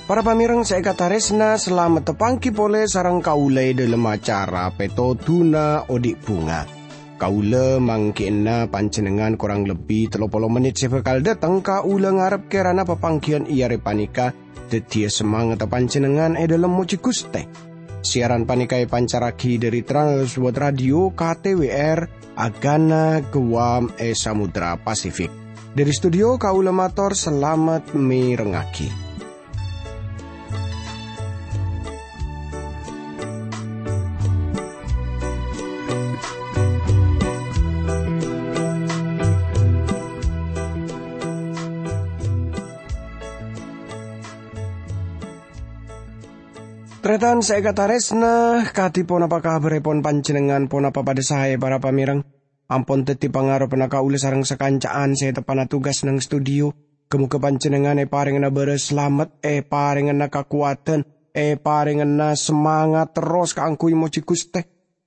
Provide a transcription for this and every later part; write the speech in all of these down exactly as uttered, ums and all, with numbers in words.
Para pamèrèng sè èkatarèsna, salamet tapangghi polè sareng kaulâ è dhâlem acara Pètodhuna Odi' Bhunga. Kaulâ mangghi'na panjhennengngan korang lebbi tello polo mennit sè bhâkal dâteng. Kaulâ ngarep kèrana papangghiyân è arè panèka dhâddhiyâ samangatta panjhennengngan è dhâlem mojhi Ghustè. Siaran panèka èpancarraghi dhâri Trans World Radio K T W R, Agana Guam è Samudra Pasifik. Dhâri studio kaulâ mator salamet mèrengngaghi. Tarètan sè èkatarèsna, kadhi ponapa kabhârèpon panjhennengngan? Ponapa padhâ saè, para pamèrèng? Ampon dhâddhi pangaroppa kaulâ sareng sakanca'an sè teppa'na tugas neng studio. Ghâ-mogâ panjhennengngan èparèngana bârâs salamet, èparèngana kakowadhân, èparèngana samangat terros kaangghuy mojhi Ghustè.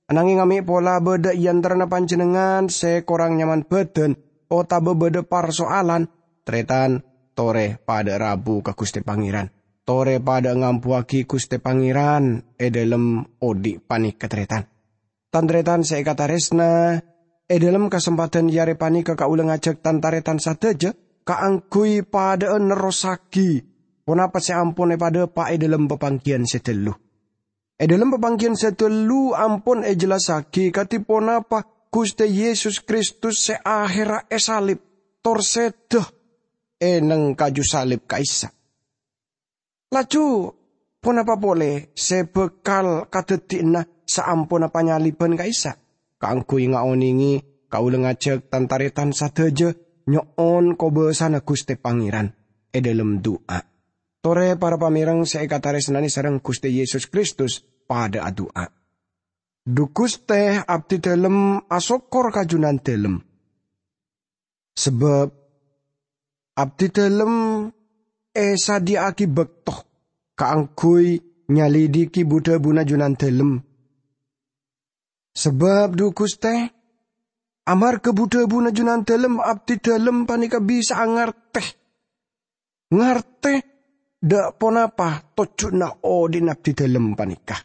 Ananghing amè' pola bâdâ è antarana panjhennengngan sè korang nyaman bhâdhân otabâ bâdâ parsoalan, tarètan, torè padâ rabu ka Ghustè Pangèran. Torè padâ ngambuwâghi Ghustè Pangèran è dhâlem odi' panèka, tarètan. Tan-tarètan sè èkatarèsna, è dhâlem kasempadhân è arè panèka kaulâ ngajhâk tan-tarètan sadhâjâ kaangghuy padâ'â nerrossaghi ponapa sè ampon èpadhâpa' è dhâlem papangghiyân sè ghâllu. È dhâlem papangghiyân sè ghâllu ampon èjellassaghi kadhi ponapa Ghustè Yesus Kristus sè aherra èsalib, tor sèdhâ è neng kaju salib ka'issa'. Laju, ponapa polè sè bhâkal kadhâddhiyâna saamponna panyalibhân ka'issa'? Kaangghuy ngaonèngè, kaulâ ngajhâk tan-tarètan sadhâjâ nyo'on kobâsana Ghustè Pangèran è dhâlem du'a. Torè para pamèrèng sè èkatarèsnanè sareng Ghustè Yesus Kristus padâ adu'a. Dhu Ghustè, abdhi dhâlem asokkor ka Jhunandhâlem. Sabâb abdhi dhâlem èsadhiyâ'âghi bâkto kaangghuy nyalidhighi bu-dhâbuna Jhunandhâlem. Sabâb, dhu Ghustè, amarghâ bu-dhâbuna Jhunandhâlem, abdhi dhâlem panèka bisa'a ngartè, ngartè dâ' ponapa tojjhuna odi'na abdhi dhâlem panèka.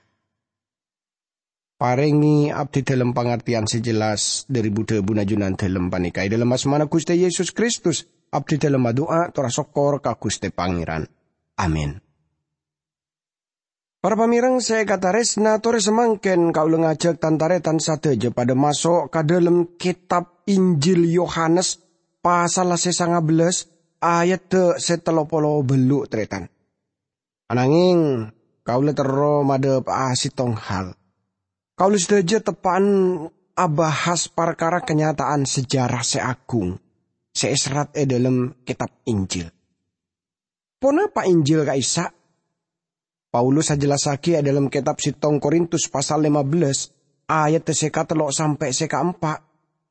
Parèngè abdhi dhâlem pangartèyan sè jelas dhâri bu-dhâbuna Jhunandhâlem panèka. È dhâlem asmana Ghustè Yesus Kristus, abdhi dhâlem adu'a tor asokkor ka Ghustè Pangèran. Amin. Para pamèrèng sè èkatarèsna, torè samangkèn kaulâ ngajhâk tan-tarètan sadhâjâ padâ maso' ka dhâlem kètab Injil Yohanes, pasalla sè sanga bellâs, ayadda sè tello polo bâllu', tarètan. Ananghing, kaulâ terro madhâpa'a sèttong hal. Kaulâ sadhâjâ teppa'na abahas parkara kanyata'an sejarah sè agung sè èserrat è dhâlem kètab Injil. Ponapa Injil ka'issa'? Paulus ajellassaghi è dhâlem kètab sèttong Korintus pasal lèma bellâs, ayadda sè katello' sampè' sè kaempa'.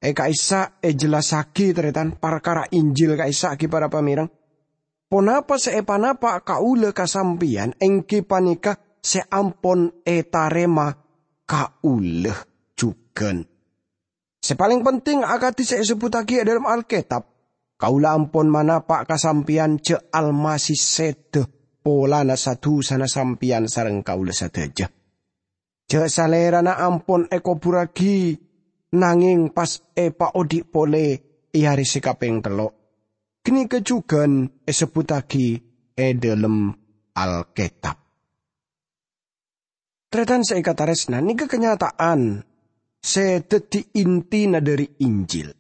È ka'issa' èjellassaghi, tarètan, parkara Injil ka'issa' ghi para pamèrèng. Ponapa sè èpanapa' kaulâ ka sampèyan èngghi panèka sè ampon ètarèma kaulâ jhughân. Sè palèng penting, akadhi sè èsebbhuttaghi è dhâlem Alkètab, kaulâ ampon manapa' ka sampèyan jhâ' Almasih sèdhâ polana sa-dhusana sampèyan sareng kaulâ sadhâjâ. Jhâ' Salèrana ampon èkoburraghi, nangèng pas èpaodi' polè è arè sè kapèng tello'. Ghânèka jhughân èsebbhuttaghi è dhâlem Alkètab. Tarètan sè èkatarèsna, nèka kanyata'an sè dhâddhi intina dhâri Injil.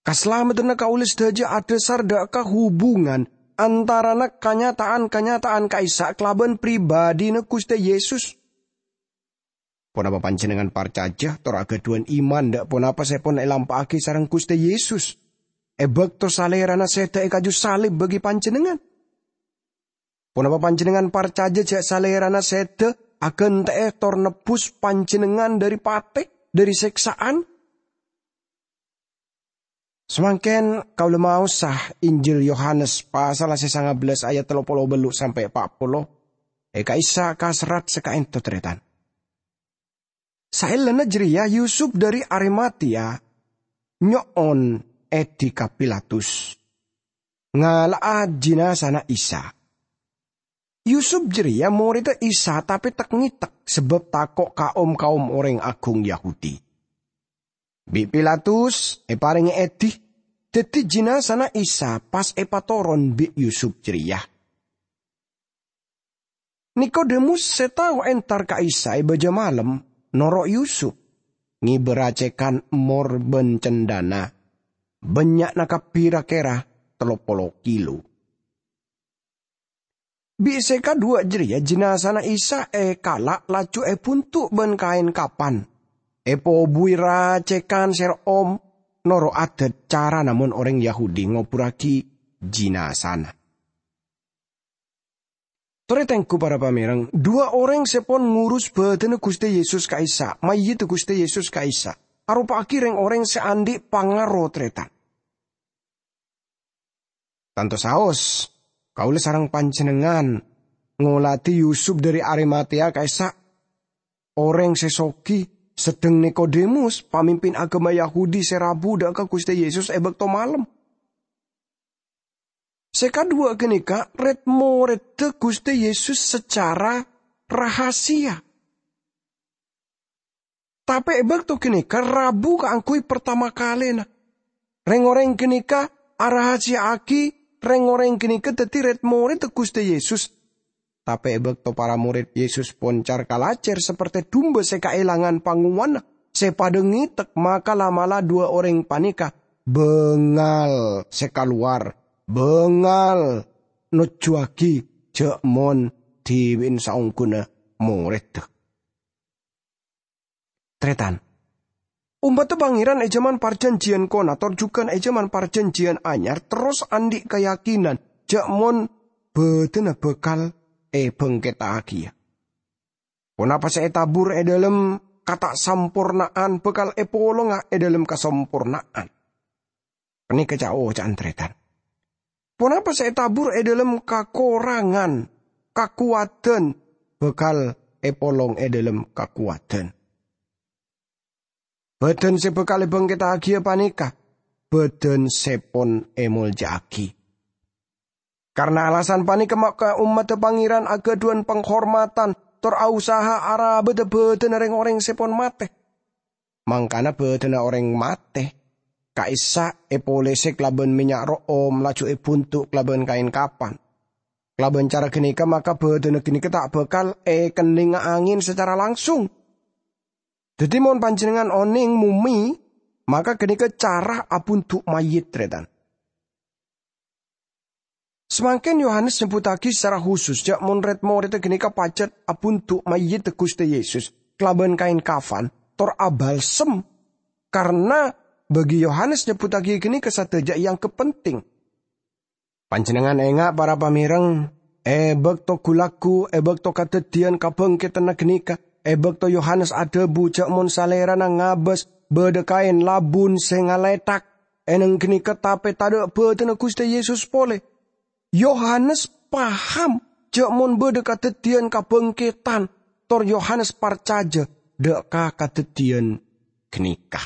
Kasalamedhânna kaulâ sadhâjâ adhâsar dâ' ka hubungan antarana kanyata'an-kanyata'an ka'issa' kalabân pribadhina Ghustè Yesus. Ponapa panjhennengngan parcajâ tor aghâdhuwân iman dâ' ponapa sè pon èlampa'aghi sareng Ghustè Yesus è bâkto Salèrana sèdhâ è kaju salib bagi panjhennengngan? Ponapa panjhennengngan parcajâ jhâ' Salèrana sèdhâ aghântè'è tor nebbhus panjhennengngan dhâri patè, dhâri sèksa'an? Samangkèn kaulâ maosa Injil Yohanes pasalla sè sanga bellâs ayat tello polo bâllu' sampè' pa' polo. è ka'issa' kaserrat sè ka'ento, tarètan. Saellana jârèya Yusup dâri Arimatea nyo'on èdhi ka Pilatus ngala'a jinazana Isa. Yusup jârèya morèdda Isa, tapè tek-ngètek sabâb tako' ka om-kaom orèng agung Yahudi. Bi' Pilatus èparèngè èdhi, dhâddhi jinazana Isa pas èpatoron bi' Yusup jârèya. Nikodemus sè tao entar ka Isa è bâjâ malem, noro' Yusup, ngèbâra cèkan emmor bân cendhâna, bânnya'na kabbhi ra-kèra tello polo kilo. Bi' sè kaduwâ' jârèya jinazana Isa èkala' laju èbunto' bân kaèn kapan, èpobuwi ra-cèkan sè ro'om, noro' adât carana mon orèng Yahudi ngoburraghi jinazana. Torè tengghu para pamèreng, duwâ' orèng sè pon ngurus bâdânna Ghustè Yesus ka'issa', mayyidda Ghustè Yesus ka'issa', aropa'aghi rèng-orèng sè andi' pangaro, tarètan. Tanto saos, kaulâ sareng panjhennengngan ngolatè Yusup dâri Arimatea ka'issa', orèng sè soghi, sedheng Nikodemus, pamimpin aghâma Yahudi sè rabu dâ' ka Ghustè Yesus è bâkto malem. Sè kaduwâ' ghânèka red-moredda Ghustè Yesus sacara rahasia. Tapè è bâkto ghânèka rabu kaangghuy partama kalèna. Rèng-orèng ghânèka arahasiya'aghi rèng-orèng ghânèka dhâddhi red-moredda Ghustè Yesus. Tapè è bâkto para morèd Yesus pon car-kalajâr saperte dumba sè kaèlangan pangowanna sè padâ ngètek, maka la'-mala' duwâ' orèng panèka bângal sè kalowar, bângal nojjuwâghi jâ' mon dhibi'en saongghuna morèdda. Tarètan, ommadda Pangèran è jhâman Parjhânjhiyân Kona tor jhughân è jhâman Parjhânjhiyân Anyar terros andi' kayakinan jâ' mon bâdânna bhâkal èbhângkettaghi. Ponapa sè ètabur è dhâlem katasamporna'an bhâkal èpolonga è dhâlem kasamporna'an. Panèka ca'-oca'an tarètan. Ponapa sè ètabur è dhâlem kakorangan kakowadhân bhâkal èpolong è dhâlem kakowadhân. Bhâdhân sè bhâkal èbhângkettaghi panèka bhâdhân sè pon èmolja'aghi. Karna alasan panèka maka ommadda Pangèran aghâdhuwân panghormadhân tor aosaha arabâdhâ bhâdhânna rèng-orèng sè pon matè. Mangkana bhâdhânna orèng matè ka'issa' èpolèsè kalabân mènnya' ro'om, laju èbunto' kalabân kaèn kapan. Kalabân cara ghânèka maka bhâdhânna ghânèka ta' bhâkal èkennènga angèn sacara langsung. Dhâddhi, mon panjhennengngan onèng mumè, maka ghânèka cara abunto' mayyit, tarètan. Samangkèn Yohanes nyebbhuttaghi sacara husus jâ' mon red-moredda ghânèka pajhât abunto' mayyiddhâ Ghustè Yesus kalabân kaèn kafan tor abalsem, karna bagi Yohanes nyebbhuttaghi ghânèka sadhâjâ èangghep penting. Panjhennengngan enga', para pamèreng, è bâkto ghu-lagghu, è bâkto kadhâddhiyân kabhângkèdhânna ghânèka, è bâkto Yohanes adhâbu jâ' mon salèrana ngabâs bâdâ kaèn labun sè ngalèthak, è nèng ghânèka tapè tadâ' bâdâna Ghustè Yesus polè. Yohanes paham jâ' mon bâdâ kadhâddhiyân kabhângkèdhân, tor Yohanes parcajâ dâ' ka kadhâddhiyân ghânèka.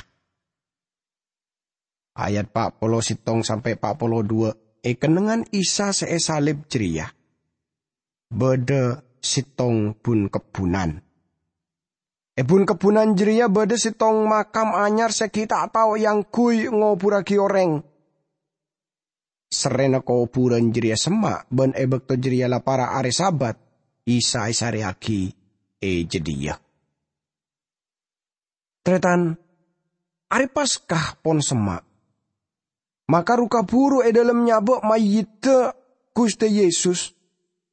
Ayat pa' polo sèttong sampè' pa' polo duwâ', è kennengngan Isa sè èsalib jârèya, bâdâ sèttong bun-kebbhunan. È bun-kebbhunan jârèya bâdâ sèttong makam anyar sè ghi' ta' tao èangghuy ngoburraghi orèng. Serrèna kobhurân jârèya semma', bân è bâkto jârèya la para' arè Sabat, Isa èsarèyaghi è jâdiyâ. Tarètan, arè Paska pon semma'. Maka ru-kabhuru è dhâlem nyabâ' mayyiddhâ Ghustè Yesus,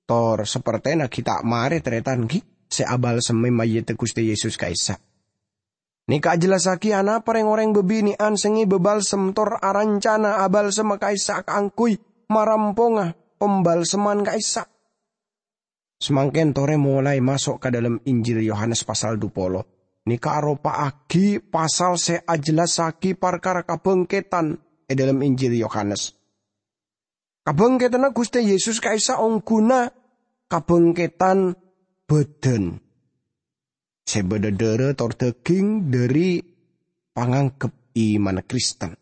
tor sapertèna ghi' ta' marè tarètan ghi' sè abalsemmè mayyiddhâ Ghustè Yesus ka'issa'. Nèka ajhellassaghi anapa rèng-orèng bâbinè'an sè ngèbâ balsem tor arancana abalsemma ka'issa' kaangghuy maramponga pambalsemman ka'issa'. Samangkèn torè molaè maso' ka dhâlem Injil Yohanes pasal dhu polo. Nèka aropa'aghi pasal sè ajhellassaghi parkara kabhângkèdhân è dhâlem Injil Yohanes. Kabhângkèdhânna Ghustè Yesus ka'issa' ongghuna kabhângkèdhân bâdân sè bâdâ dârâ tor dhâghing dhâri pangangghep imanna Kristen.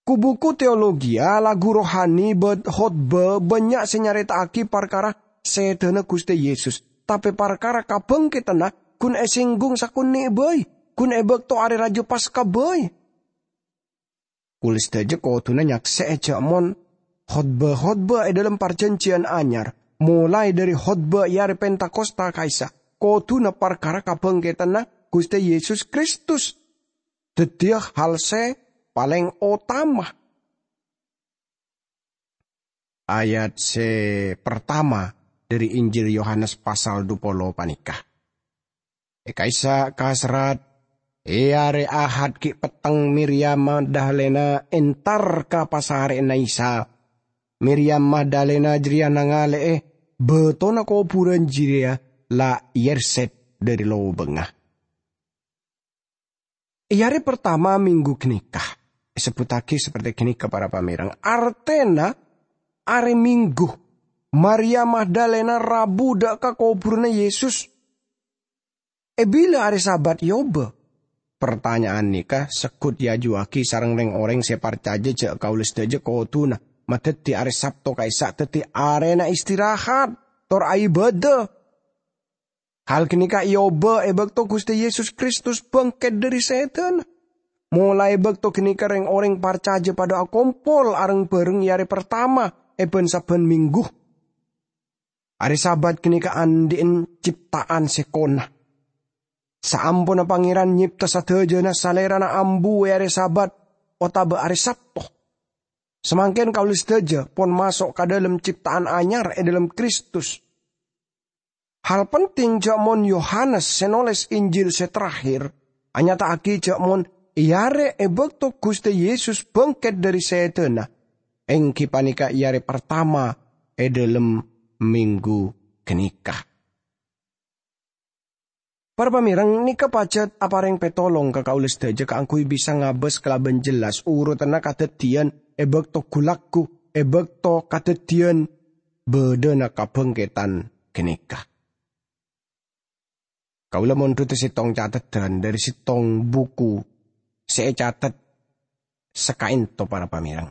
Ku-buku teologia, lagu rohani, bân khotbah bânnya' sè nyarèta'aghi parkara sèdhâna Ghustè Yesus, tapè parkara kabhângkeddhânna ghun èsènggung sakonè' bhâi, ghun è bâkto Arè Rajâ Paska bhâi. Kaulâ sadhâjâ kodhuna nyaksè'è jhâ' mon khotbah-khotbah è dhâlem Parjhânjhiyân Anyar, molaè dhâri khotbah è Arè Pentakosta ka'issa', kodhuna parkara kabhângkeddhânna Ghustè Yesus Kristus dhâddhiyâ hal sè palèng otama. Ayat sè partama dhâri Injil Yohanes pasal dupolo panèka. È ka'issa' kaserrat, è arè Ahad ghi' petteng Miriyam Magdalena entar ka pasarè'na Isa. Miriyam Magdalena jârèya nangalè'è bâtona kobhurân jârèya la èyèrsèt dhâri lobângnga. È arè partama minggu ghânèka, èsebbhuttaghi saperte ghânèka, para pamèreng, artèna arè Minggu, Maria Magdalena rabu dâ' ka kobhurânna Yesus. È bilâ arè Sabat èobâ? Partanya'an nèka segghut èajuwâghi sareng rèng-orèng sè parcajâ jhâ' kaulâ sadhâjâ kodhuna madhâddhi arè Sabto ka'issa' dhâddhi arèna istirahat, tor aibâdâ. Hal ghânèka èobâ è bâkto Ghustè Yesus Kristus bângkèt dhâri sèdhâna. Molaè bâkto ghânèka rèng-orèng parcajâ padâ akompol areng-bhâreng è arè partama è bân-sabbhân minggu. Arè Sabat ghânèka andi'en cipta'an sè kona. Saamponna Pangèran nyèpta sadhâjâna, Salèrana ambu è arè Sabat otabâ arè Sabto. Samangkèn kaulâ sadhâjâ pon maso' ka dhâlem cipta'an anyar è dhâlem Kristus. Hal penting jhâ' mon Yohanes sè nolès Injil sè terakhir anyata'aghi jhâ' mon è arè è bâkto Ghustè Yesus bângkèt dhâri sèdhâna, èngghi panèka è arè partama è dhâlem minggu ghânèka. Para pamèreng, nèka pajhât aparèng pètolong ka kaulâ sadhâjâ kaangghuy bisa ngabâs kalabân jelas urutanna kadhâddhiyân è bâkto ghu-lagghu, è bâkto kadhâddhiyân bâdâna kabângkèdhân ghânèka. Kaulâ mondhuta sèttong cateddhân dhâri sèttong buku sè ècatet sakaènto, para pamèreng.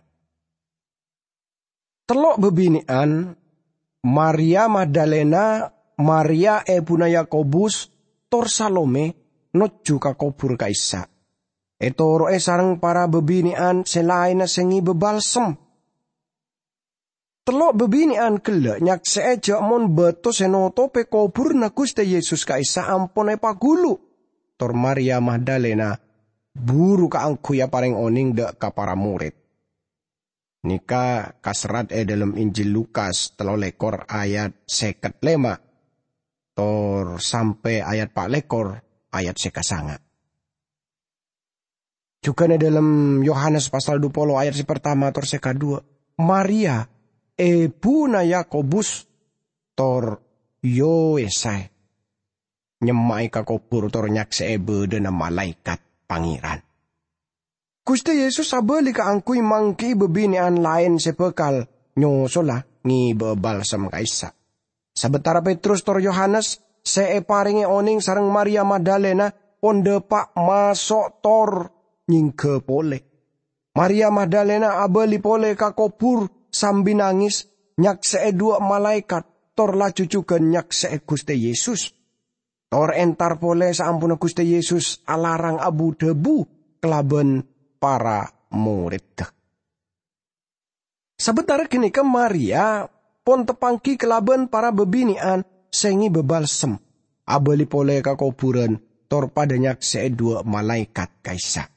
Tello' bâbinè'an, Maria Magdalena, Maria èbhuna Yakobus, tor Salome, nojjhu ka kobhur ka'issa'. Ètoro'è sareng para bâbinè'an sè laènna sè ngibâ balsem. Tello' bâbinè'an ghellâ' nyaksè'è jhâ' mon bâto sè notopè kobhurânna Ghustè Yesus ka'issa' ampon èpaghulu, tor Maria Magdalena buru kaangghuy aparèng onèng dâ' ka para morèd. Nèka kaserrat è dhâlem Injil Lukas tello lèkor ayat sèket lèma', tor sampè' ayat pa' lèkor ayat sè kasanga'. Jhughân è dhâlem Yohanes pasal dupolo ayat sè partama tor sè kaduwâ', Maria, èbhuna Yakobus, tor Yosae, nyemma'è ka kobhur tor nyaksè'è bâdâna malaèkat Pangèran. Ghustè Yesus abâli kaangghuy mangghi'i bâbinè'an laèn sè bhâkal nyosola ngibâ'â balsem ka'issa'. Sabâtara Petrus tor Yohanes sè èparèngè onèng sareng Maria Magdalena pon dâpa' maso' tor nyèngghâ polè, Maria Magdalena abâli polè ka kobhur sambi nangès, nyaksè'è dhuwâ' malaèkat, tor laju jhughân nyaksè'è Ghustè Yesus. Tor entar polè saamponna Ghustè Yesus alarang abu-dhâbu kalabân para morèdda. Sabâtara ghânèka Maria pon teppangghi kalabân para bâbinè'an sè ngibâ balsem, abâli polè ka kobhurân, tor padâ nyaksè'è dhuwâ' malaèkat ka'issa'.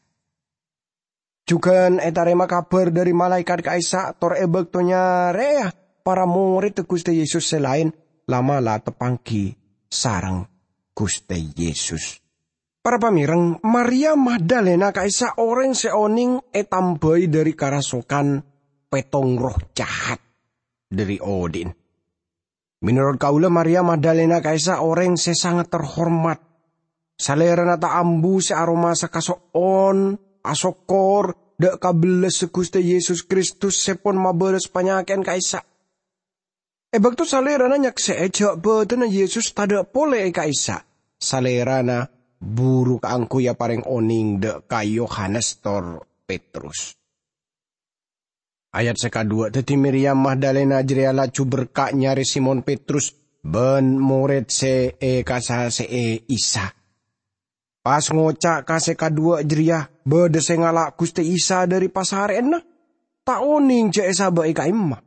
Jhughân ètarèma kabhâr dhâri malaèkat ka'issa', tor è bâkto nyarèya para morèdda Ghustè Yesus sè laèn, la'-mala' teppangghi sareng Ghustè Yesus. Para pamèreng, Maria Magdalena ka'issa' orèng sè onèng ètambhâi dhâri karasokan pètong roh jahat dhâri odi'na. Mènorot kaulâ, Maria Magdalena ka'issa' orèng sè sanget terhormat. Salèrana ta' ambu sè aromasa kaso'on, asokkor, dâ' kabellâssa Ghustè Yesus Kristus sè pon mabârâs panyakè'an ka'issa'. E bakto Salèrana nyaksè'è jhâ' bâdânna Yesus tadâ' polè è ka'issa', Salèrana buru kaangghuy aparèng onèng dâ' ka Yohanes tor Petrus. Ayat sè kaduwâ', dhâddhi Miriyam Magdalena jârèya laju berka' nyarè Simon Petrus bân morèd sè èkasasè'è Isa. Pas ngoca' ka sè kaduwâ' jârèya, bâdâ sè ngala' Ghustè Isa dâri pasarèyanna, ta' onèng jhâ' èsabâ'i ka'imma.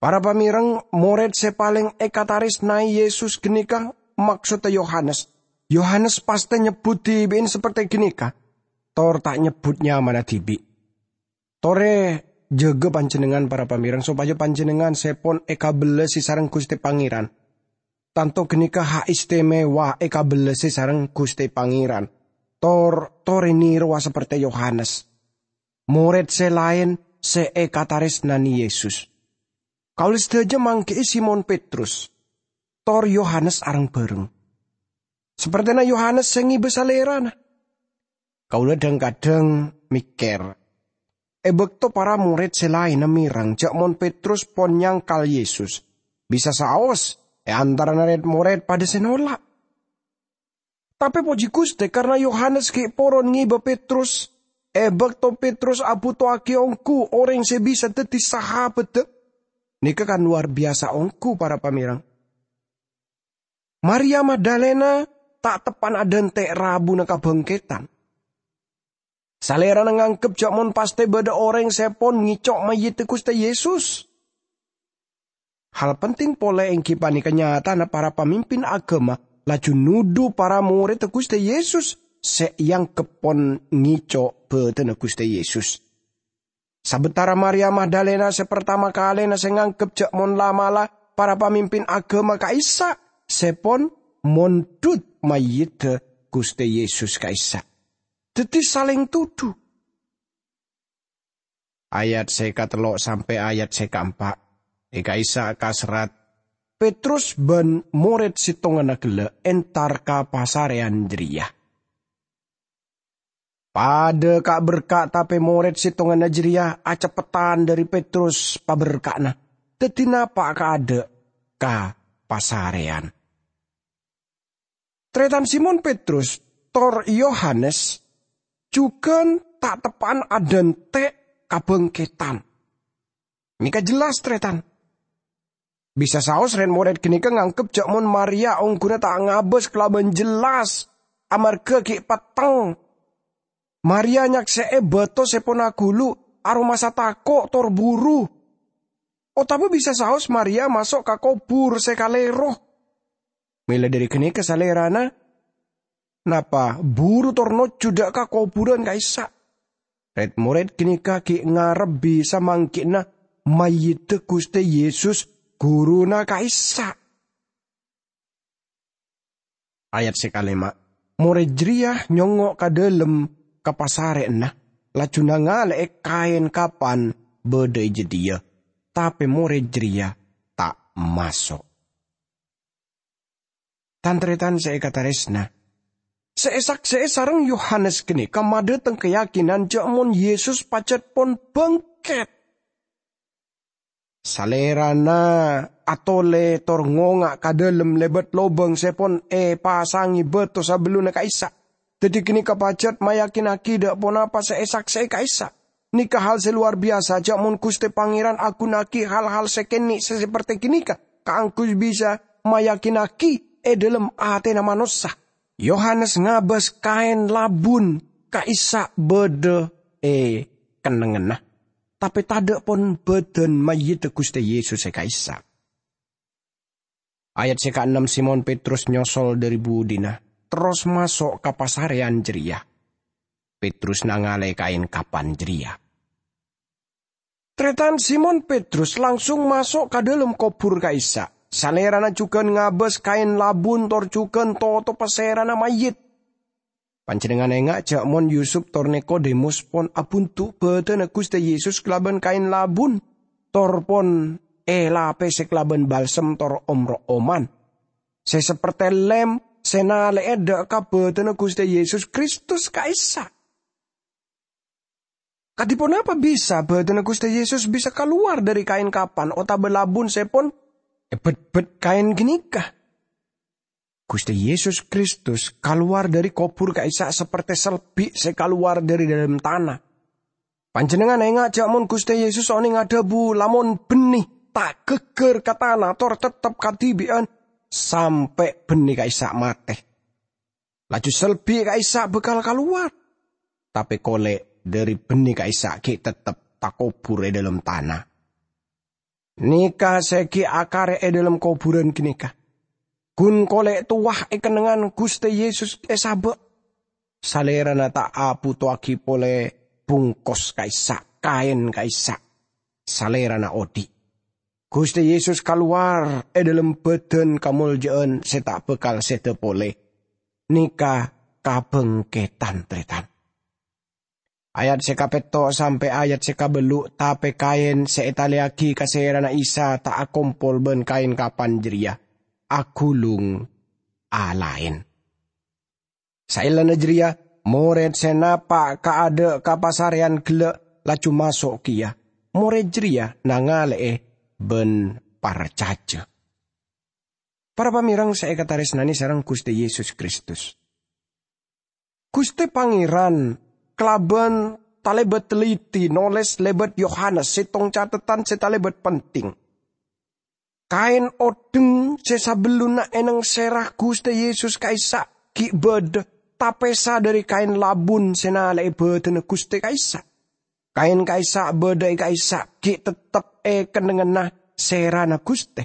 Para pamèrèng, morèd sè palèng èkatarèsnaè Yesus ghânèka maksodda Yohanes. Yohanes pastè nyebbhut dhibi'en saperte ghânèka, tor ta' nyebbhut nyamana dhibi'. Torè jâgâ panjhennengngan, para pamèrèng, sopajâ panjhennengngan sè pon èkabellasi sareng Ghustè Pangèran. Tanto ghânèka ha' istimewa èkabellasi sareng Ghustè Pangèran. Tor, torè nèrowa saperte Yohanes, morèd sè laèn sè èkatarèsnanè Yesus. Kaulâ sadhâjâ mangghi'i Simon Petrus, tor Yohanes areng-bhâreng. Sapertèna Yohanes sè ngèbâ Salèrana. Kaulâ dhâng-kadhâng mèkkèr, è bakto para morèd sè laènna mèreng jhâ' mon Petrus pon nyangkal Yesus, bisa saos è antarana rèd-morèd padâ sè nola'. Tapè pojhi Ghustè, karna Yohanes ghi' poron ngèbâ Petrus, è bakto Petrus abhutowaghi ongghu orèng sè bisa dhâddhi sahabaddhâ. Nèka kan lowar biyasa ongghu, para pamèreng. Maria Magdalena ta' teppa'na adhânte' rabuna kabhângkèdhân. Salèrana nganggep jhâ' mon pastè bâdâ orèng sè pon ngèco' mayyidda Ghustè Yesus. Hal penting polè èngghi panèka nyatana para pamimpin aghâma laju nodhu para morèdda Ghustè Yesus sè èanggep pon ngèco' bâdânna Ghustè Yesus. Sabâtara Maria Magdalena sè partama kalèna sè nganggep jhâ' mon la'-mala' para pamimpin aghâma ka'issa' sè pon mondhut mayyidda Ghustè Yesus ka'issa'. Dhâddhi salèng todhu. Ayat sè katello' sampè' ayat sè kaempa'. È ka'issa' kaserrat, Petrus bân morèd sèttonganna ghellâ' entar ka pasarèyan jârèya. Padâ ka'-berka', tapè morèd sèttonganna jârèya aceppetan dâri Petrus paberka'na, dhâddhi napa' kaadâ' ka pasarèyan. Tarètan Simon Petrus tor Yohanes jhughân ta' teppa'an adhânte' kabhângkèdhân. Nèka jellas, tarètan. Bisa saos rèd-morèd ghânèka nganggep jhâ' mon Maria ongghuna ta' ngabâs kalabân jellas amarghâ ghi' petteng. Maria nyaksè'è bâto sè pon aghulu', aromasa tako' tor buru. Otabâ bisa saos Maria maso' ka kobhur sè kalèro. Mèla dâri ghânèka salèrana napa buru tor nojjhu dâ' ka kobhurân ka'issa'. Rèd-morèd ghânèka ghi' ngarep bisa mangghi'na mayyidda Ghustè Yesus, Ghuruna ka'issa'. Ayat sè kalèma', morèd jârèya nyongngo' ka dâlem ka pasarèyanna, laju nangalè'è kaèn kapan bâdâ è jâdiyâ, tapè morèd jârèya ta' maso'. Tan-tarètan sè èkatarèsna, sè èsaksè'è sareng Yohanes ghânèka madâteng kayakinan jhâ' mon Yesus pajhât pon bângkèt. Salèrana atolè tor ngonga' ka dâlem lèbât lobâng sè pon èpasangè bâto sabellunna ka'issa'. Dhâddhi ghânèka pajhât mayakinnaghi dâ' ponapa sè èsaksè'è ka'issa'. Nèka hal sè lowar biyasa jhâ' mon Ghustè Pangèran aghunaaghi hal-hal sè kènè' sè saperte ghânèka kaangghuy bisa mayakinnaghi è dâlem atèna manossa. Yohanes ngabâs kaèn labun ka'issa' bâdâ è kennengnganna, tapè tadâ' pon bâdân mayyidda Ghustè Yesus è ka'issa'. Ayat sè kaennem, Simon Petrus nyosol dâri budina, terros maso' ka pasarèyan jârèya. Petrus nangalè kaèn kapan jârèya. Tarètan, Simon Petrus langsung maso' ka dâlem kobhur ka'issa'. Salèrana jhughân ngabâs kaèn labun tor jhughân totobhâ sèrana mayyit. Panjhennengngan enga' jhâ' mon Yusup tor Nikodemus pon abhundu' bâdânna Ghustè Yesus kalabân kaèn labun, tor pon èlapèsè kalabân balsem tor om-ro'oman sè saperte lèm sè nalè'è dâ' ka bâdânna Ghustè Yesus Kristus ka'issa'. Kadhi ponapa bisa bâdânna Ghustè Yesus bisa kalowar dâri kaèn kapan otabâ labun sè pon Èbetbet kaèn ghânèka. Ghustè Yesus Kristus kalowar dhâri kobhur ka'issa' saperte selbi' sè kalowar dhâri dâlem tana. Panjhennengngan enga' jhâ' mon Ghustè Yesus onèng adhâbu, "Lamon bânnè ta' ghâggâr ka tana tor teptep kadhibi'ân sampè' bânnè ka'issa' matè, laju selbi' ka'issa' bhâkal kalowar, tapè kolè' dhâri bânnè ka'issa' ghi' teptep takobhur è dâlem tana." Nèka sè ghi' akara è dâlem kobhurân ghânèka. Ghun kolè' towa è kennengngan Ghustè Yesus èsabâ'. Salèrana ta' abhutoaghi polè bungkos ka'issa', kaèn ka'issa'. Salèrana odi'. Ghustè Yesus kalowar è dâlem bâdân kamoljâ'ân sè ta' bhâkal sèdhâ polè. Nèka kabhângkèdhân, Tarètan. Ayat sè kapètto' sampè' ayat sè kabâllu', tapè kaèn sè ètalèyaghi ka sèrana Isa ta' akompol bân kaèn kapan jârèya, aghulung alaèn. Saellana jârèya, morèd sè napa' kaadâ' ka pasarèyan ghellâ' laju maso' kèya. Morèd jârèya nangalè'è bân parcajâ. Para pamèreng sè èkatarèsnanè sareng Ghustè Yesus Kristus. Ghustè Pangèran kalabân talèbât telliti nolès lèbât Yohanes sèttong catetan sè talèbât penting. Kaèn odheng sè sabellunna ènèngsèra Ghustè Yesus ka'issa' ghi' bâdâ, tapèsa dhâri kaèn labun sè nalè'è bâdânna Ghustè ka'issa'. Kaèn ka'issa' bâdâ è ka'issa' ghi' teptep è kennengnganna sèrana Ghustè,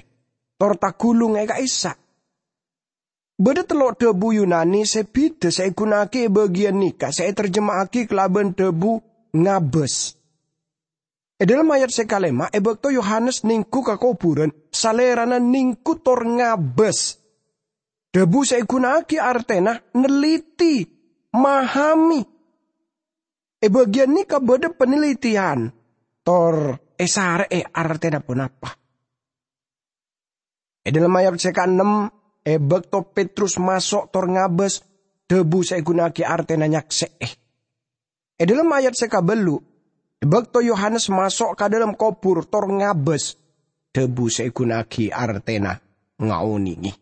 tor taghulung è ka'issa'. Bâdâ tello' dhâbu Yunani sè bhidhâ sè èghuna'aghi è bâgiyân nèka sè ètarjema'aghi kalabân dhâbu ngabâs. È dâlem ayat sè kalèma', è bâkto Yohanes nèngghu ka kobhurân, salèrana nèngghu tor ngabâs. Dhâbu sè èghuna'aghi artèna nelliti, mahamè. È bâgiyân nèka bâdâ panelitèyan, tor èsarè'è artèna ponapa. È dâlem ayat sè kaennem, è bâkto Petrus maso' tor ngabâs, dhâbu sè èghuna'aghi artèna nyaksè'è. È dâlem ayat sè kabâllu', è bâkto Yohanes maso' ka dâlem kobhur tor ngabâs, dhâbu sè èghuna'aghi artèna ngaonèngè.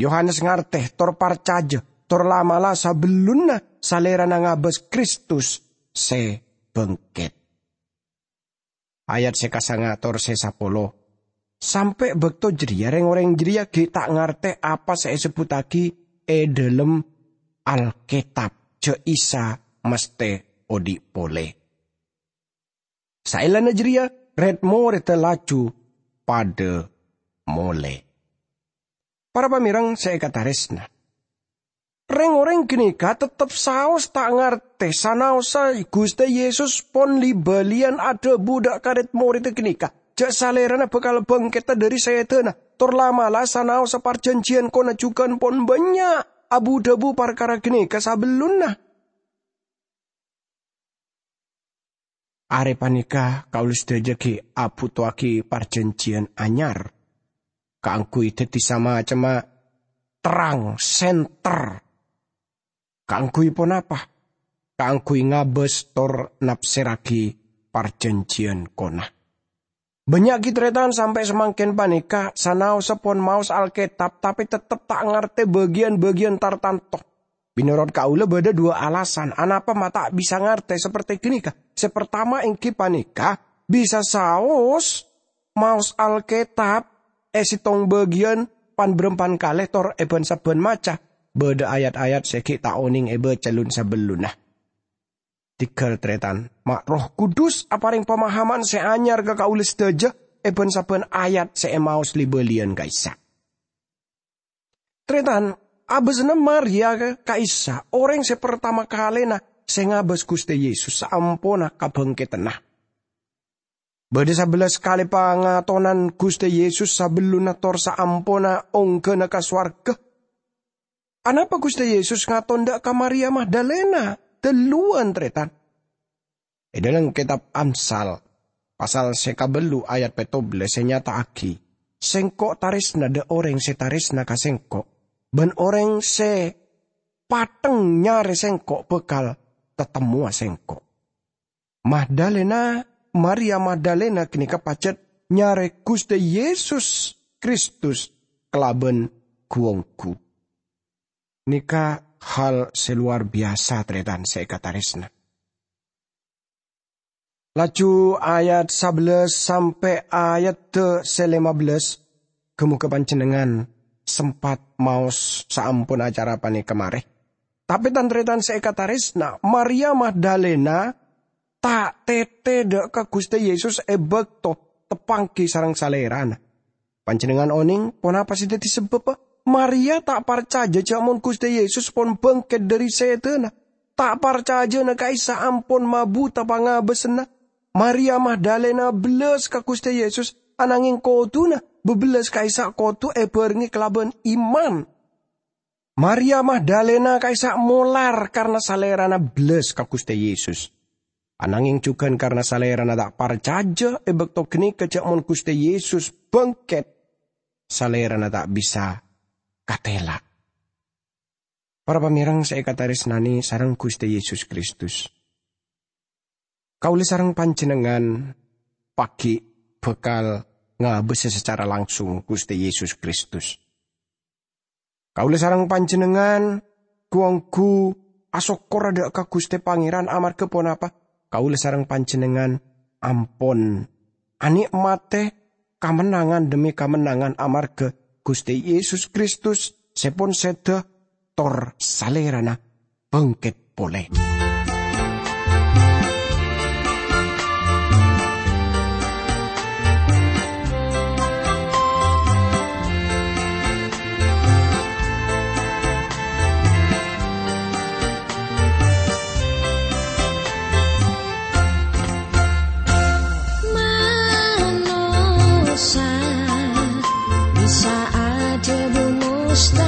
Yohanes ngartè tor parcajâ, tor la'-mala' sabellunna salèrana ngabâs Kristus sè bângkèt. Ayat sè kasanga tor sè sapolo. Sampè' bâkto jârèya rèng-orèng jârèya ghi' ta' ngartè apa sè èsebbhuttaghi è dâlem Alkètab jâ' Isa mastè odi' polè. Saellana jârèya, red-morèdda laju padâ molè. Para pamèreng sè èkatarèsna, rèng-orèng ghânèka teptep saos ta' ngartè sanaossa Ghustè Yesus pon li-bâliyân adhâbu dâ' ka red-morèdda ghânèka jâ' Salèrana bhâkal bângkètta dhâri sèdhâna, tor la'-mala' sanaossa parjhânjhiyân kona jhughân pon bânnya' abu-dhâbu parkara ghânèka sabellunna. Arè panèka kaulâ sadhâjâ ghi' abhutoaghi parjhânjhiyân anyar kaangghuy dhâddhi samacemma terrang sènter. Kaangghuy ponapa? Kaangghuy ngabâs tor napsèrraghi parjhânjhiyân kona. Bânnya' ghi' tarètan sampè' samangkèn panèka sanaossa pon maos Alkètab, tapè teptep ta' ngartè bâgiyân-bâgiyân tartanto. Mènorot kaulâ bâdâ duwâ' alasan anapa ma' ta' bisa ngartè saperte ghânèka. Sè partama èngghi panèka bisa saos maos Alkètab è sèttong bâgiyân pan-bârâmpan kalè tor è bân-sabbhân maca. Bâdâ ayat-ayat sè ghi' ta' onèng èbâca lon-sabellunna. Tèghâl tarètan, ma' Erroh Kudus aparèng pamahaman sè anyar ka kaulâ sadhâjâ è bân-sabbhân ayat sè èmaos li-bâliyân ka'issa'. Tarètan, abâsana Maria ka'issa' orèng sè partama kalèna sè ngabâs Ghustè Yesus saamponna kabângkèdhânna. Bâdâ sabellâs kalè pangatonan Ghustè Yesus sabellunna tor saamponna ongghâna ka sowarghâ. Anapa Ghustè Yesus ngaton dâ' ka Maria Magdalena dâlluwân, tarètan? È dâlem kètab Amsal, pasal sè kabâllu ayat pèttobellâs sè nyata'aghi, "Sèngko' tarèsna dâ' orèng sè tarèsna ka Sèngko', bân orèng sè pateng nyarè Sèngko' bhâkal tatemmowa Sèngko'." Magdalena, Maria Magdalena ghânèka pajhât nyarè Ghustè Yesus Kristus kalabân gu-onggu. Nèka hal sè lowar biyasa, tarètan sè èkatarèsna. Laju ayat sabellâs sampè' ayat sè lèma bellâs, ghâ-mogâ panjhennengngan sempat maos saampon acara panèka marè. Tapè, tan-tarètan sè èkatarèsna, Maria Magdalena ta' tètè dâ' ka Ghustè Yesus è bâkto teppangghi sareng Salèrana. Panjhennengngan onèng ponapa sè dhâddhi sabâbbhâ? Maria ta' parcajâ jhâ' mon Ghustè Yesus pon bângkèt dhâri sèdhâna. Ta' parcajâna ka'issa' ampon mabhuta pangabâsânna. Maria Magdalena bellas ka Ghustè Yesus, ananghing kodhuna bebellas ka'issa' kodhu èbhârengngè kalabân iman. Maria Magdalena ka'issa' molar karna salèrana bellas ka Ghustè Yesus. Ananghing jhughân karna salèrana ta' parcajâ è bâkto ghânèka jhâ' mon Ghustè Yesus bângkèt, salèrana ta' bisa katèla'. Para pamèreng sè èkatarèsnanè sareng Ghustè Yesus Kristus, kaulâ sareng panjhennengngan paghi' bhâkal ngabâsa sacara langsung Ghustè Yesus Kristus. Kaulâ sareng panjhennengngan gu-onggu asokkor dâ' ka Ghustè Pangèran amarghâ ponapa? Kaulâ sareng panjhennengngan ampon anè'matè kamennangan dhemmi kamennangan amarghâ Ghustè Yesus Kristus sè pon sèdhâ tor Salèrana bângkèt polè. Manossa bisa adhâbu mustahil.